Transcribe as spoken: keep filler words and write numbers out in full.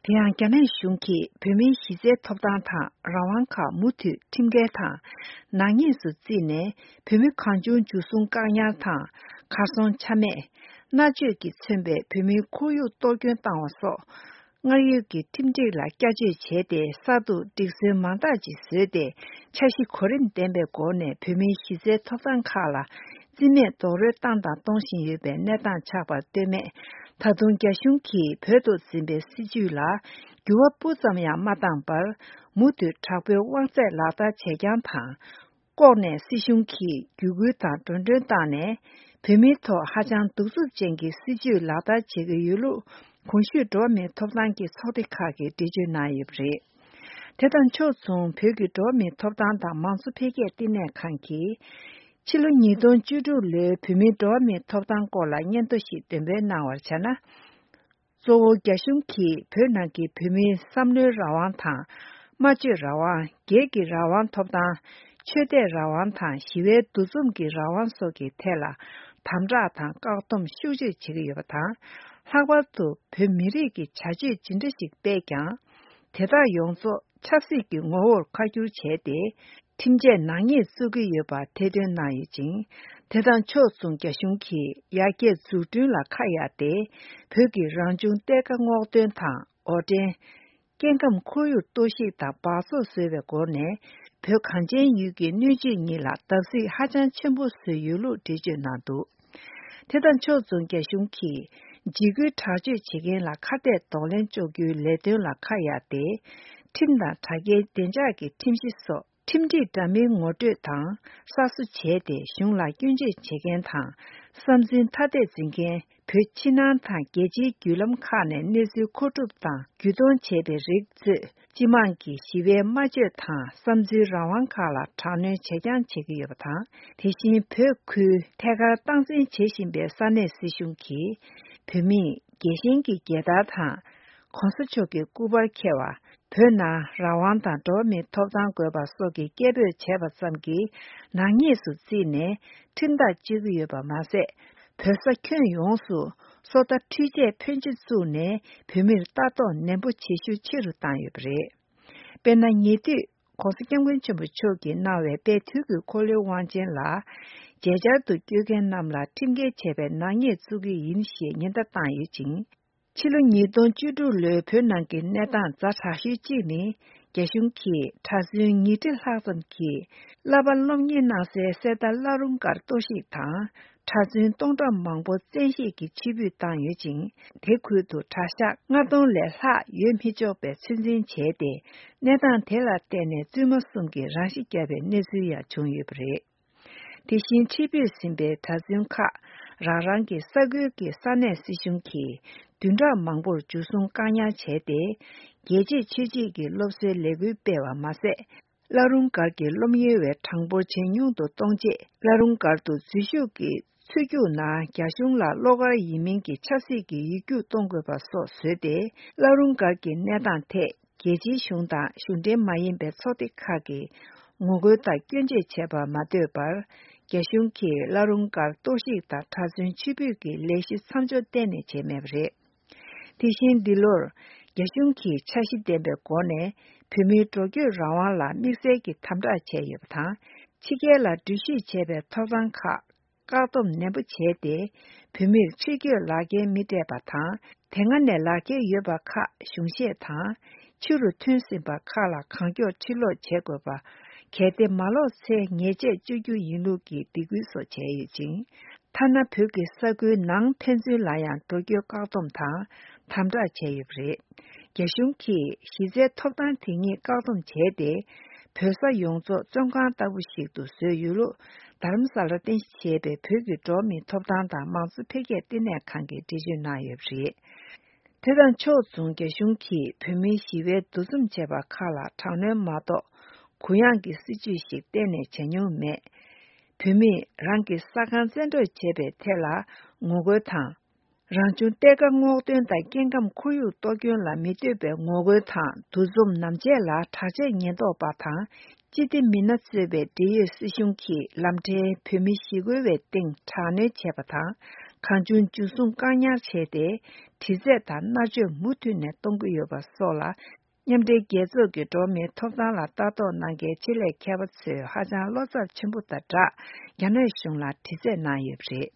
དེ་ཡང་རྒྱ་ནག་གཞུང་གིས་བོད་མིའི་གཞི་རྩའི་ཐོབ་ཐང་དང་རང་དབང་ཁག་མུ་མཐུད་ཁྲིམས་འགལ་དང་ནག་ཉེས་སུ་བརྩིས་ནས། བོད་མི་གང་བྱུང་འཇུ་བཟུང་བཀག་ཉར་དང་གར་སོང་ཆ་མེད། མནར་གཅོད་ཀྱིས་མཚོན་པའི་བོད་མིའི་ཁོར་ཡུག་གཏོར་སྐྱོན་བཏང་བ་སོགས། སྔར་ཡོད་ཀྱི་ཁྲིམས་སྒྲིག་ལ་བསྐྱར་བཅོས་བྱས་ཏེ། གསར་དུ་སྒྲིག་སྲོལ་མང་དག་ཅིག་བཟོས་ཏེ། འཆར་གཞི་གོ་རིམ་ལྡན་པའི་སྒོ་ནས་བོད་མིའི་གཞི་རྩའི་ཐོབ་ཐང་ཁག་ལ་རྩིས་མེད་རྡོག་རོལ་བཏང་དང་གཏོང་བཞིན་ཡོད་པའི་གནས་སྟངས་ཆགས་པར་ལྟོས་མེད། ད་དུང་རྒྱ་གཞུང་གིས་བོད་དུ་འཛིན་པའི་སྲིད་བྱུས་ལ་འགྱུར་བ་སྤུ་ཙམ་ཡང་མ་བཏང་བར། མུ་མཐུད་དྲག་པོའི་དབང་ཚད་ལག་བསྟར་བྱེད་རྐྱང་དང་། ལྐོག་ནས་སྲིད་གཞུང་གིས་བརྒྱུད་སྐུལ་དང་འགྲོ་གྲོན་བཏང་ནས། བོད་མིའི་ཐོག་ཧ་ཅང་གདུག་རྩུབ་ཅན་གྱི་སྲིད་བྱུས་ལག་བསྟར་བྱེད་ཀྱི་ཡོད་ལུགས། གོང་ཞུས་འགྲོ་བ་མིའི་ཐོབ་ཐང་གི་ཚོགས་སྡེ་ཁག་གིས་འགྲེལ་བརྗོད་གནང་ཡོད་པ་རེད། དེ་དང་ཕྱོགས་མཚུངས། བོད་ཀྱི་འགྲོ་བ་མིའི་ཐོབ་ཐང་དང་མང་གཙོ་འཕེལ་རྒྱས་ལྟེ་གནས་ཁང་གིས། ཕྱི་ལོ་ཉིས་སྟོང་བཅུ་དྲུག་ལོའི་བོད་མིའི་འགྲོ་བ་མིའི་ཐོབ་ཐང་སྐོར་ལ་སྙན་ཐོ་ཞིག་འདོན་སྤེལ་གནང་བར་བྱས་ན། གཙོ་བོ་རྒྱ་གཞུང་གིས་བོད་ནང་གི་བོད་མིའི་བསམ་བློའི་རང་དབང་དང་། སྨྲ་བརྗོད་རང་དབང་། སྒེར་གྱི་རང་དབང་ཐོབ་ཐང་། ཆོས་དད་རང་དབང་དང་། ཞི་བའི་འདུ་འཛོམས་ཀྱི་རང་དབང་སོགས་ཀྱི་ཐད་ལ་དམ་དྲག་དང་བཀག་སྡོམ་ཤུགས་ཆེ་བྱེད་ཀྱི་ཡོད་པ་དང་། ལྷག་པར་དུ་བོད་མི་རིགས་ཀྱི་བྱ་སྤྱོད་ཇི་འདྲ་ཞིག་སྤེལ་ཀྱང་། དེ་དག་ཡོངས་རྫོགས་ཆབ་སྲིད་ཀྱི་ངོ་བོར་ཁ་བསྒྱུར་བྱས་ཏེ། ཁྲིམས་ཆད་ནག་ཉེས་བཙུགས་ཀྱི་ཡོད་པ་ཐེར་འདོན་གནང་ཡོད་ཅིང་། དེ་དང་ཕྱོགས་མཚུངས། རྒྱ་གཞུང་གིས་ཡར་རྒྱས་འཛུགས་སྐྲུན་ལ་ཁ་གཡར་ཏེ། བོད་ཀྱི་རང་བྱུང་གཏེར་ཁ་སྔོག་འདོན་དང་། འོར་འདྲེན། སྐྱེ་ཁམས་ཁོར་ཡུག་གཏོར་བཤིག་དང་འབག་བཙོག་བཟོས་པའི་སྒོ་ནས། བོད་གངས་ཅན་ཡུལ་གྱི་སྣོད་བཅུད་གཉིས་ལ་བརྡབ་གསིག་ཧ་ཅང་ཆེན་པོ་བཟོས་ཡོད་ལུགས་འགྲེལ་བརྗོད་གནང་འདུག་དེ་དང་ཕྱོགས་མཚུངས། རྒྱ་གཞུང་གིས་འཇིགས་སྐུལ་དྲག་སྤྱོད་བྱེད་མཁན་ལ་ཁ་གཏད་གདོང་ལེན་གཅོག་རྒྱུའི་ལས་དོན་ལ་ཁ་གཡར་ཏེ། ཁྲིམས་དང་དྲ་རྒྱའི་བདེ་འཇགས་ཀྱི་ཁྲིམས་གཞི་སོགས། ཁྲིམས་སྒྲིག་འདྲ་མིན་ངོ་སྤྲོད་དང་གསར་བཟོ་བྱས་ཏེ། གཞུང་ལ་སྐྱོན་བརྗོད་བྱེད་མཁན་དང་། བསམ་ཚུལ་ཐ་དད་འཛིན་མཁན། བོད་ཕྱི་ནང་དང་རྒྱལ་སྤྱིའི་བརྒྱུད་ལམ་ཁག་ནས་གནས་ཚུལ་མཁོ་སྒྲུབ་དང་བརྒྱུད་གཏོང་བྱས་པའི་རིགས་གཙོས། སྤྱི་དམངས་ཀྱི་ཞི་བའི་སྨྲ་བརྗོད་དང་བསམ་ཚུལ་རང་དབང་ཁག་ལ་དྲག་གནོན་བྱེད་རྐྱང་བྱེད་ཀྱི་ཡོད་པ་དང་། དེ་བཞིན་བོད་ཁུལ་ཐད་ཀར་སྟངས་འཛིན་བྱེད་བཞིན་པའི་ས་གནས་སྲིད་གཞུང་གིས། བོད་མིས་རྒྱལ་ཞེན་གྱི་རྒྱལ་དར་དང་། གོང་ས་མཆོག་གི་སྐུ་པར་འཁྱེར་བ། བོད་ནང་རང་དབང་དང་འགྲོ་བ་མིའི་ཐོབ་ཐང་དགོས་པ་སོགས་ཀྱི་སྐད་འབོད་བྱས་པ་ཙམ་གྱིས་ནག་ཉེས་སུ་བརྩིས་ནས་ཁྲིམས་ཐག་གཅོད་ཀྱི་ཡོད་པ་མ་ཟད། བོད་ས་ཁྱོན་ཡོངས་སུ་སོ་ལྟ་འཕྲུལ་ཆས་ཕོན་ཆེ་བཙུགས་ནས་བོད་མིར་ལྟ་རྟོག་ནན་པོ་བྱེད་ཤུགས་ཆེ་རུ་བཏང་ཡོད་པ་རེད། དཔེར་ན། ཉེ་དུས་༸གོང་ས་༸སྐྱབས་མགོན་ཆེན་པོ་མཆོག་གིས་གནང་བའི་དཔལ་དུས་ཀྱི་འཁོར་ལོའི་དབང་ཆེན་ལ་མཇལ་བཅར་དུ་བསྐྱོད་མཁན་རྣམས་ལ་ཁྲིམས་འགལ་བྱས་པའི་ནག་ཉེས་བཙུགས་ཀྱི་ཡིན་ཞེས་ཉེན་བརྡ་བཏང་ཡོད་ཅིང་། ཕྱི་ལོ་ཉིས་སྟོང་བཅུ་དྲུག་ལོའི་བོད་ནང་གི་གནས་སྟངས་ཛ་དྲག་ཤོས་གཅིག་ནི། རྒྱ་གཞུང་གིས་གྲྭ་བཙུན་ཉིས་ཁྲི་ལྷག་ཙམ་གྱིས་བསླབ་པ་སློབ་གཉེར་གནང་སའི་གསེར་རྟ་བླ་རུང་སྒར་གཏོར་བཤིག་དང་། གྲྭ་བཙུན་སྟོང་ཕྲག་མང་པོ་བཙན་ཤེད་ཀྱིས་ཕྱིར་འབུད་བཏང་ཡོད་ཅིང་། དེ་ཁུལ་དུ་གྲྭ་ཤག་ལྔ་སྟོང་ལས་ལྷག་ཡོད་མི་ཆོག་པའི་ཚོད་འཛིན་བྱས་ཏེ། གནས་སྟངས་དེ་ལ་བརྟེན་ནས་བཙུན་མ་གསུམ་གྱིས་རང་ཤི་བརྒྱབ་པའི་གནས་ཚུལ་ཡང་བྱུང་ཡོད་པ་རེད། དེ་བཞིན་ཕྱིར་འབུད་ཟིན་པའི་གྲྭ་བཙུན་ཁག་རང་རང་གི་ས་ཁུལ་གྱི་ས་གནས་སྲིད་གཞུང་གིས་བདུན་ཕྲག་མང་པོར་འཇུ་བཟུང་བཀག་ཉར་བྱས་ཏེ། རྒྱལ་གཅེས་ཆོས་གཅེས་ཀྱི་སློབ་གསོའི་ལས་འགུལ་སྤེལ་བ་མ་ཟད། བླ་རུང་སྒར་གྱི་སློབ་གཉེར་བའི་གྲངས་འབོར་ཇེ་ཉུང་དུ་གཏོང་ཆེད། བླ་རུང་སྒར་དུ་འཛུལ་ཞུགས་ཀྱི་ཚུད་རྒྱུགས་ནང་རྒྱ་གཞུང་ལ་བློ་དཀར་ཡིན་མིན་གྱི་ཆབ་སྲིད་ཀྱི་ཡིག་རྒྱུགས་གཏོང་དགོས་པ་སོགས་བཟོས་ཏེ། བླ་རུང་སྒར་གྱི་གནས་སྟངས་ཐད། རྒྱལ་སྤྱིའི་གཞུང་དང་གཞུང་འབྲེལ་མ་ཡིན་པའི་ཚོགས་སྡེ་ཁག་གིས་ངོ་རྒོལ་དང་སྐྱོན་བརྗོད་བྱས་པར་མ་ལྟོས་པར། རྒྱ་གཞུང་གིས་བླ་རུང་སྒར་གཏོར་བཤིག་དང་གྲྭ་བཙུན་ཕྱིར་འབུད་ཀྱི་ལས་གཞི་མཚམས་འཇོག་གཏན་ནས་བྱས་མེད་པ་རེད། དེ་བཞིན་འདི་ལོར་རྒྱ་གཞུང་གིས་འཆར་གཞི་ལྡན་པའི་སྒོ་ནས་བོད་མིའི་འགྲོ་སྐྱོད་རང་དབང་ལ་དམིགས་བསལ་གྱི་དམ་དྲག་བྱས་ཡོད་པ་དང་། ཕྱི་རྒྱལ་ལ་འགྲུལ་བཞུད་བྱས་པའི་ཐོབ་ཐང་ཁག་བཀག་སྡོམ་ནན་པོ་བྱས་ཏེ། བོད་མིར་ཕྱིར་སྐྱོད་ལག་འཁྱེར་མི་སྤྲད་པ་དང་། དེ་སྔ་ནས་ལག་འཁྱེར་ཡོད་པ་ཁག་གཞུང་བཞེས་དང་། ཕྱི་རུ་ཐོན་ཟིན་པ་ཁག་ལ་གང་མགྱོགས་ཕྱིར་ལོག་བྱེད་དགོས་པ། གལ་ཏེ་མ་ལོག་ཚེ་ཉེས་ཆད་གཅོད་རྒྱུ་ཡིན་ལུགས་ཀྱི་སྡིགས་སྐུལ་སོགས་བྱས་ཡོད་ཅིང་། ཐ་ན་བོད་ཀྱི་ས་ཁུལ་ནང་ཕན་ཚུན་ལ་ཡང་འགྲོ་སྐྱོད་བཀག་སྡོམ་དང་དམ་དྲག་བྱས་ཡོད་པ་རེད། རྒྱ་གཞུང་གིས་གཞི་རྩའི་ཐོབ་ཐང་དེ་ཉིད་བཀག་སྡོམ་བྱས་ཏེ། བོད་ས་ཡོངས་རྫོགས་བཙོན་ཁང་ལྟ་བུ་ཞིག་ཏུ་བཟོས་ཡོད་ལུགས། རྡ་རམ་ས་ལར་རྟེན་གཞི་བྱས་པའི་བོད་ཀྱི་འགྲོ་བ་མིའི་ཐོབ་ཐང་དང་མང་གཙོ་འཕེལ་རྒྱས་ལྟེ་གནས་ཁང་གིས་འགྲེལ་བརྗོད་གནང་ཡོད་པ་རེད། དེ་དང་ཕྱོགས་མཚུངས། རྒྱ་གཞུང་གིས་བོད་མིའི་ཞི་བའི་འདུ་འཛོམས་བྱས་པ་ཁག་ལ་དྲག་གནོན་མ་གཏོགས། གུ་ཡངས་ཀྱི་སྲིད་བྱུས་ཤིག་གཏན་ནས་བྱས་མྱོང་མེད། བོད་མིས་རང་གི་ས་ཁང་བཙན་འཕྲོག་བྱས་པའི་ཐད་ལ་ངོ་རྒོལ་དང་། རང་བྱུང་གཏེར་ཁ་སྔོག་འདོན་དང་སྐྱེ་ཁམས་ཁོར་ཡུག་གཏོར་སྐྱོན་ལ་མི་ལྟོས་པའི་ངོ་རྒོལ་དང་འདུ་འཛོམས་ནམ་བྱས་ལ་དྲག་ཆས་ཉེན་རྟོག་པ་དང་སྤྱི་བདེ་མི་སྣ་གཙོས་པའི་འབྲེལ་ཡོད་སྲིད་གཞུང་གིས་ལམ་འཕྲལ་བོད་མི་ཞི་རྒོལ་བའི་སྟེང་དྲག་གནོན་བྱས་པ་དང་ གང་བྱུང་འཇུ་བཟུང་བཀག་ཉར་བྱས་ཏེ། དྲི་རྩད་དང་མནར་གཅོད་མུ་མཐུད་ནས་གཏོང་གི་ཡོད་པ་སོགས་ལ། མཉམ་འབྲེལ་རྒྱལ་ཚོགས་ཀྱི་འགྲོ་བ་མིའི་ཐོབ་ཐང་ལ་ལྟ་རྟོག་གནང་མཁན་ཆེད་ལས་མཁས་པ་ཚོས་ཧ་ཅང་བློ་འཚབ་ཆེན་པོ་དང་སྦྲགས། རྒྱ་ནག་གཞུང་ལ་དྲི་རྩད་གནང་ཡོད་པ་རེད།